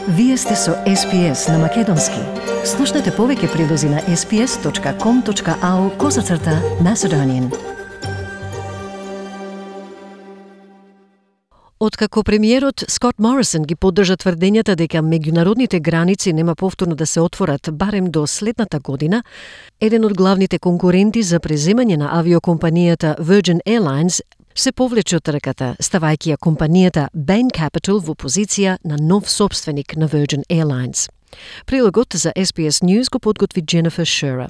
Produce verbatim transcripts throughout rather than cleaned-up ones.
Вие сте со Ес Пи Ес на Македонски. Слушнете повеќе прилози на ес пи ес точка ком точка ау козацрта Macedonian. Откако премиерот Скот Морисон ги поддржа тврдењата дека меѓународните граници нема повторно да се отворат барем до следната година, еден од главните конкуренти за преземање на авиокомпанијата Virgin Airlines се повлече од трката, ставајќи ја компанијата Bain Capital во позиција на нов собственик на Virgin Airlines. Прилогот за Ес Пи Ес News го подготви Jennifer Shearer.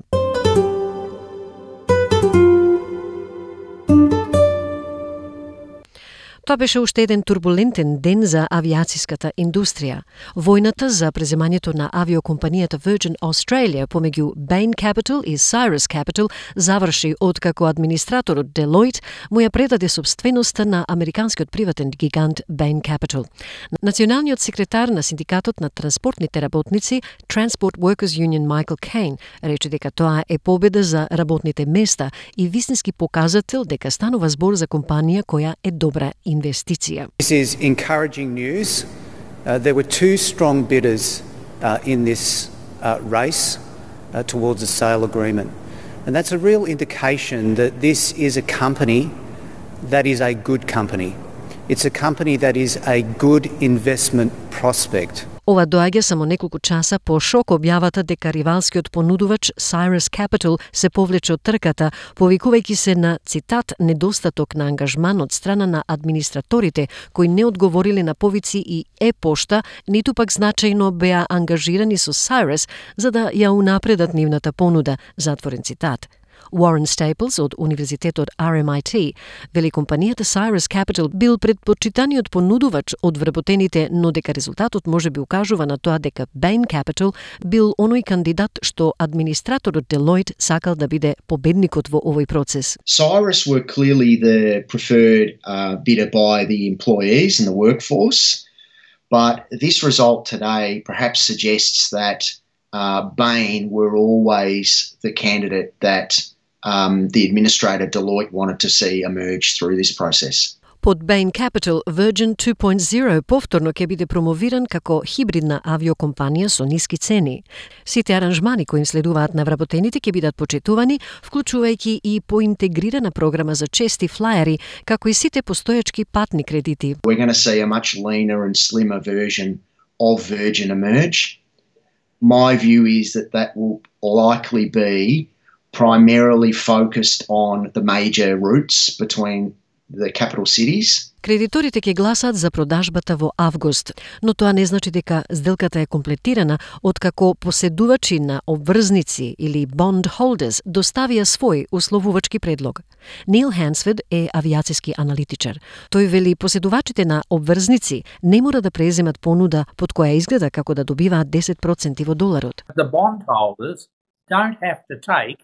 Тоа беше уште еден турбулентен ден за авиацијската индустрија. Војната за преземањето на авиокомпанијата Virgin Australia помеѓу Bain Capital и Cyrus Capital заврши откако администраторот Deloitte му ја предаде собственоста на американскиот приватен гигант Bain Capital. Националниот секретар на синдикатот на транспортните работници Transport Workers Union Michael Caine рече дека тоа е победа за работните места и вистински показател дека станува збор за компанија која е добра investicija. This is encouraging news. Uh, there were two strong bidders uh, in this uh, race uh, towards a sale agreement. And that's a real indication that this is a company that is a good company. It's a company that is a good investment prospect. Ова доаѓа само неколку часа по шок објавата дека ривалскиот понудувач Cyrus Capital се повлече од трката, повикувајќи се на, цитат, недостаток на ангажман од страна на администраторите, кои не одговориле на повици и е-пошта, ниту пак значајно беа ангажирани со Cyrus за да ја унапредат нивната понуда, затворен цитат. Warren Staples од Универзитетот Ар Ем Ај Ти вели компанијата Cyrus Capital бил предпочитаниот понудувач од вработените, но дека резултатот може би укажува на тоа дека Bain Capital бил оној кандидат што администраторот Deloitte сакал да биде победникот во овој процес. Cyrus were clearly the preferred uh, bidder by the employees and the workforce, but this result today perhaps suggests that uh, Bain were always the candidate that Um, the administrator Deloitte wanted to see emerge through this process. Под Bain Capital, Virgin two point oh повторно ќе биде промовиран како хибридна авиокомпанија со ниски цени. Сите аранжмани кои им следуваат на вработените ќе бидат почитувани, вклучувајќи и поинтегрирана програма за чести флаери, како и сите постојачки патни кредити. We're going to see a much leaner and slimmer version of Virgin emerge. My view is that that will likely be primarily focused on the major routes between the capital cities. Кредиторите ќе гласаат за продажбата во август, но тоа не значи дека сделката е комплетирана откако поседувачи на обврзници или bond holders доставија свој условувачки предлог. Нил Хансфорд е авиацијски аналитичар. Тој вели поседувачите на обврзници не мора да преземат понуда под која изгледа како да добиваат десет проценти во доларот. The bond holders don't have to take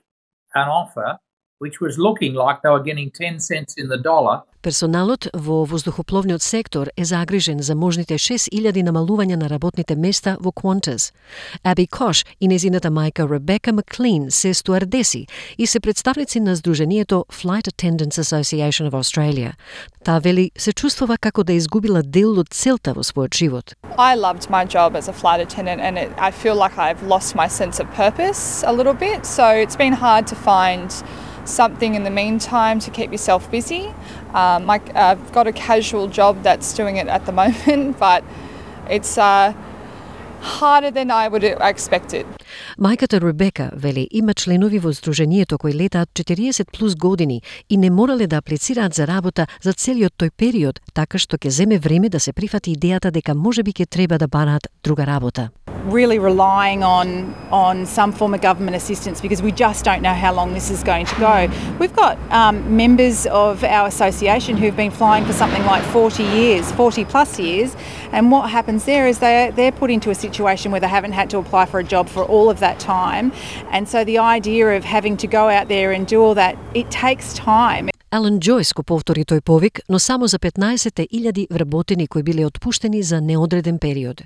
an offer which was looking like they were getting ten cents in the dollar. Персоналот во воздухопловниот сектор е загрижен за можните шест илјади намалувања на работните места во Qantas. Аби Кош и незината мајка Ребека Маклин се стуардеси и се представници на Сдруженијето Flight Attendants Association of Australia. Таа вели се чувствува како да изгубила дел од целта во својот живот. I loved my job as a flight attendant and it, I feel like I've lost my sense of purpose a little bit, so it's been hard to find something in the meantime to keep yourself busy. Um, like, uh, I've got a casual job that's doing it at the moment, but it's uh, harder than I would have expected. Мајката Ребека вели има членови во Сдруженијето кои летаат четириесет плюс години и не морале да аплицираат за работа за целиот тој период, така што ќе земе време да се прифати идејата дека можеби ќе треба да бараат друга работа. Really relying on on some form of government assistance because we just don't know how long this is going to go. We've got um, members of our association who've been flying for something like forty years, forty plus years, and what happens there is they they're put into a situation where they haven't had to apply for a job for all of that time, and so the idea of having to go out there and do all that, it takes time. Алан Джойс го повтори тој повик, но само за петнаесет илјади вработени кои биле отпуштени за неодреден период.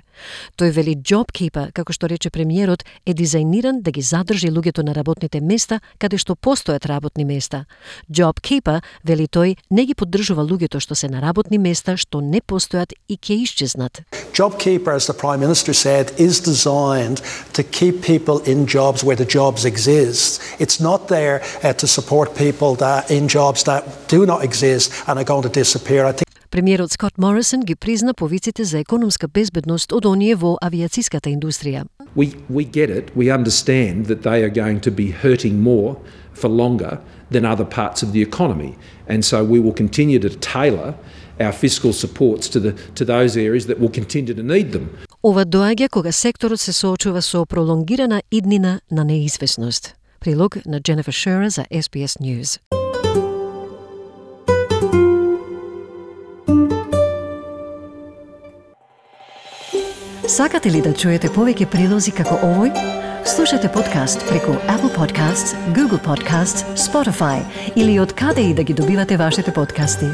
Тој вели JobKeeper, како што рече премиерот, е дизајниран да ги задржи луѓето на работните места каде што постојат работни места. JobKeeper, вели тој, не ги поддржува луѓето што се на работни места што не постојат и ќе исчезнат. JobKeeper, as the Prime Minister said, is designed to keep people in jobs where the jobs exist. It's not there uh, to support people that in jobs that do not exist and are going to disappear. I think Премиерот Скот Морисон ги призна повиците за економска безбедност од оние во авиацијската индустрија. We we get it. We understand that they are going to be hurting more for longer than other parts of the economy, and so we will continue to tailor our fiscal supports to the to those areas that will continue to need them. Ова доаѓа кога секторот се соочува со пролонгирана иднина на неизвестност. Прилог на Jennifer Shearer за S B S News. Сакате ли да чуете повеќе прилози како овој? Слушате подкаст преку Apple Podcasts, Google Podcasts, Spotify или од каде и да ги добивате вашите подкасти.